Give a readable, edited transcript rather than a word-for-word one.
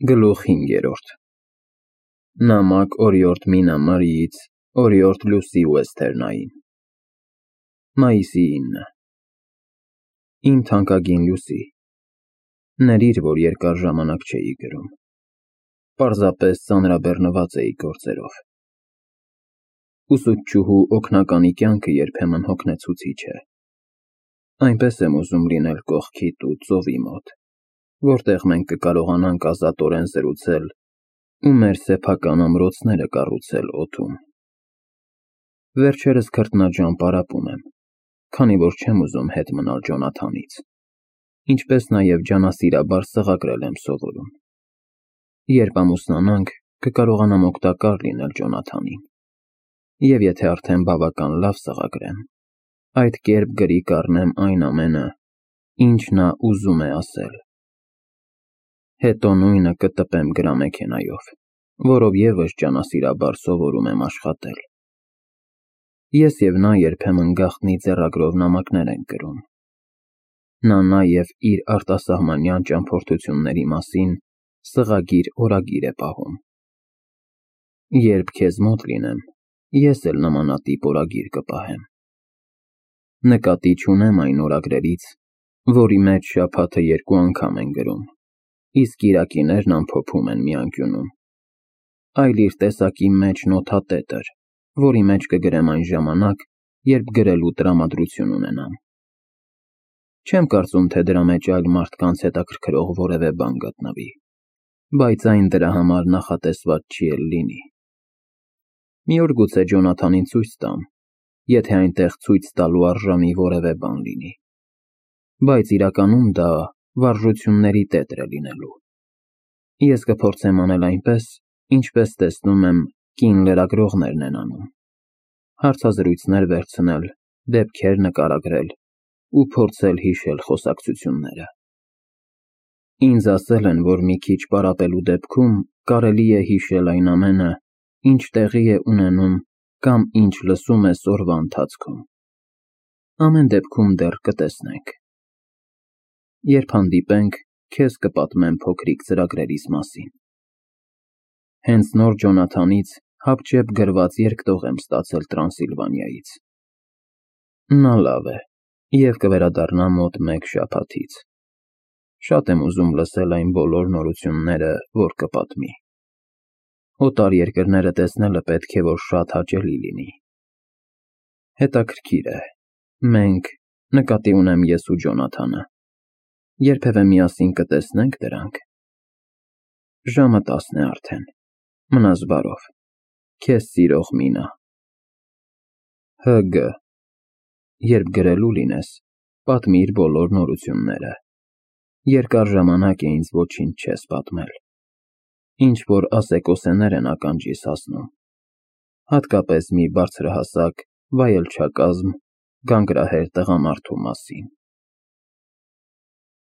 Գլուխ 5 Նամակ օրիորդ Մինամարիից օրիորդ Լուսի Ուեսթերնային Մայիսի 9 Իմ թանկագին Լուսի, ներիր, որ երկար ժամանակ չէի գրում, պարզապես ծանրաբեռնված էի գործերով։ Ուսուցչուհու օգնականի կյանքը երբեմն հոգնեցուցիչ է։ Այնպես եմ ուզում լինել կողքիդ ու ծովի մոտ, որտեղ մենք կկարողանանք ազատորեն զրուցել ու մեր սեփական ամրոցները կառուցել օդում։ Վերջերս քրտնաջան պարապում եմ, քանի որ չեմ ուզում հետ մնալ Ջոնաթանից, ինչպես նաև ջանասիրաբար սղագրել եմ սովորում։ Երբ ամուսնանանք, կկարողանամ օգտակար լինել Ջոնաթանին, և եթե արդեն բավական լավ սղագրեմ, այդ կերպ գրի կառնեմ այն ամենը, ինչ նա ուզում է ասել։ Հետո նույնը կտպեմ գրամեքենայով, որով ևս ջանասիրաբար սովորում եմ աշխատել։ Ես և նա երբեմն գաղտնի ձեռագրով նամակներ ենք գրում։ Նա նաև իր արտասահմանյան ճամփորդությունների մասին սղագիր օրագիր է պահում։ Երբ քեզ մոտ լինեմ, ես էլ նմանատիպ օրագիր կպահեմ։ Նկատի չունեմ այն օրագրերից, որի մեջ շաբաթը 2 անգամ են գրում, իսկ կիրակիներն ամփոփում են մի անկյունում, այլ իր տեսակի մեջ նոթատետր, որի մեջ կգրեմ այն ժամանակ, երբ գրելու տրամադրություն ունենամ։ Չեմ կարծում, թե դրա մեջ այլ մարդկանց հետաքրքրող որևէ բան գտնվի, բայց այն դրա համար նախատեսված չի էլ լինի։ Մի օր գուցե Ջոնաթանին ցույց տամ, եթե այնտեղ ցույց տալու արժանի որևէ բան լինի, բայց իրականում դա վարժությունների տետր է լինելու։ Ես կփորձեմ անել այնպես, ինչպես տեսնում եմ կին լրագրողներն են անում, հարցազրույցներ վերցնել, դեպքեր նկարագրել ու փորձել հիշել խոսակցությունները։ Ինձ ասել են, որ մի քիչ պարապելու դեպքում կարելի է հիշել այն ամենը, ինչ տեղի է ունենում կամ ինչ լսում ես օրվա ընթացքում։ Ամեն դեպքում դեռ կտեսնենք։ Երբ հանդիպենք, քեզ կպատմեմ փոքրիկ ծրագրերիս մասին։ Հենց նոր Ջոնաթանից հապճեպ գրված երկտող եմ ստացել Տրանսիլվանիայից։ Նա լավ է և կվերադառնա մոտ 1 շաբաթից։ Շատ եմ ուզում լսել այն բոլոր նորությունները, որ կպատմի։ Օտար երկրները տեսնելը պետք է որ շատ հաճելի լինի։ Հետաքրքիր է, մենք, նկատի ունեմ ես ու Ջոնաթանը, երբևէ միասին կտեսնե՞նք դրանք։ Ժամը 10 է արդեն, մնաս բարով, քեզ սիրող Մինա։ Հգ. Երբ գրելու լինես, պատմիր բոլոր նորությունները։ Երկար ժամանակ է ինձ ոչինչ չես պատմել։ Ինչ-որ ասեկոսեներ են ականջիս հասնում, հատկապես մի բարձրահասակ, վայելչակազմ, գանգրահեր տղամարդու մասին։